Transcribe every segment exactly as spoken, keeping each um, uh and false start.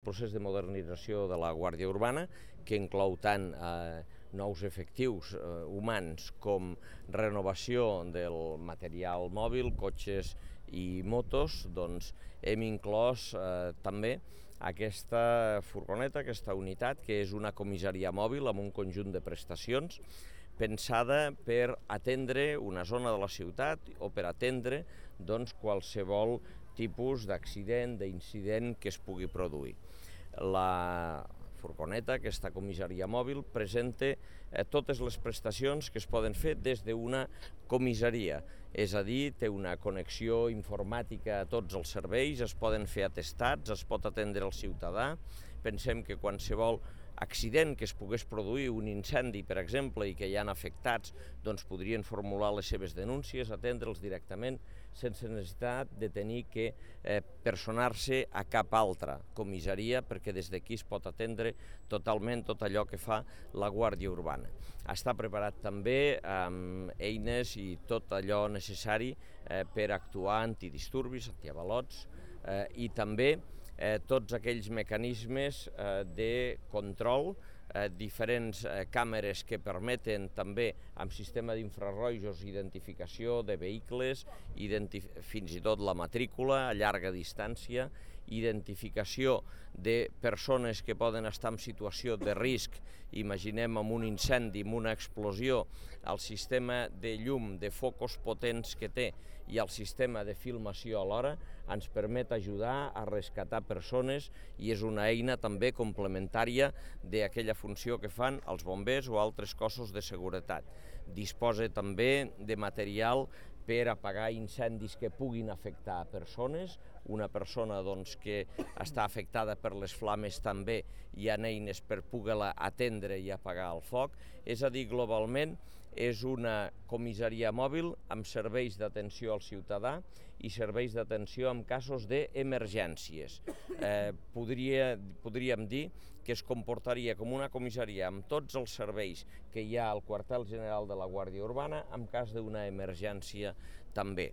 Procés de modernització de la Guàrdia Urbana, que inclou tant eh, nous efectius eh, humans com renovació del material mòbil, cotxes i motos, doncs hem inclòs eh, també aquesta furgoneta, aquesta unitat, que és una comissaria mòbil amb un conjunt de prestacions pensada per atendre una zona de la ciutat o per atendre doncs, qualsevol tipus d'accident, d'incident que es pugui produir. La furgoneta, aquesta comissaria mòbil, presenta eh, totes les prestacions que es poden fer des d'una comissaria, és a dir, té una connexió informàtica a tots els serveis, es poden fer atestats, es pot atendre el ciutadà. Pensem que qualsevol accident que es pogués produir, un incendi, per exemple, i que hi ha afectats, doncs podrien formular les seves denúncies, atendre'ls directament, sense necessitat de tenir que eh, personar-se a cap altra comissaria, perquè des d'aquí es pot atendre totalment tot allò que fa la Guàrdia Urbana. Està preparat també amb eines i tot allò necessari eh, per actuar antidisturbis, antiavalots eh, i també Eh, tots aquells mecanismes eh, de control, eh, diferents eh, càmeres que permeten també amb sistema d'infrarrojos identificació de vehicles, identif fins i tot la matrícula a llarga distància, identificació de persones que poden estar en situació de risc, imaginem amb un incendi, amb una explosió, el sistema de llum, de focus potents que té i el sistema de filmació alhora ens permet ajudar a rescatar persones i és una eina també complementària d'aquella funció que fan els bombers o altres cossos de seguretat. Disposa també de material per apagar incendis que puguin afectar persones. Una persona doncs, que està afectada per les flames també hi ha eines per poder-la atendre i apagar el foc. És a dir, globalment és una comissaria mòbil amb serveis d'atenció al ciutadà i serveis d'atenció en casos d'emergències. Eh, podria, podríem dir que es comportaria com una comissaria amb tots els serveis que hi ha al quartel general de la Guàrdia Urbana en cas d'una emergència també.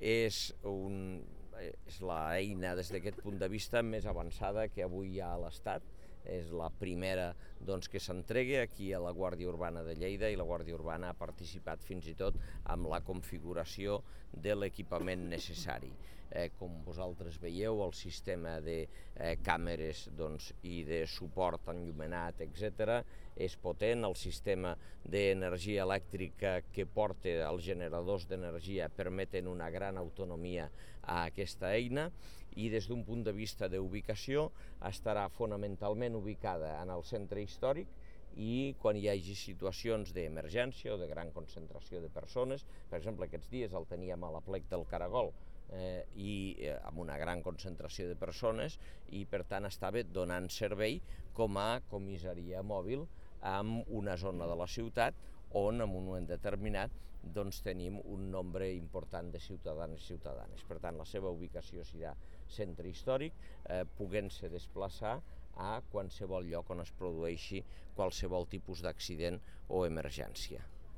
És, un, és l'eina des d'aquest punt de vista més avançada que avui hi ha a l'Estat. És la primera doncs, que s'entregui aquí a la Guàrdia Urbana de Lleida i la Guàrdia Urbana ha participat fins i tot amb la configuració de l'equipament necessari. Eh, com vosaltres veieu, el sistema de eh, càmeres doncs, i de suport enllumenat, etcètera, és potent. El sistema d'energia elèctrica que porta els generadors d'energia permeten una gran autonomia a aquesta eina i des d'un punt de vista d'ubicació estarà fonamentalment ubicada en el centre històric i quan hi hagi situacions d'emergència o de gran concentració de persones, per exemple aquests dies el teníem a l'Aplec del Caragol eh, i eh, amb una gran concentració de persones i per tant estava donant servei com a comissaria mòbil amb una zona de la ciutat on en un moment determinat doncs, tenim un nombre important de ciutadans i ciutadanes. Per tant, la seva ubicació serà centre històric, eh, podent-se desplaçar a qualsevol lloc on es produeixi qualsevol tipus d'accident o emergència.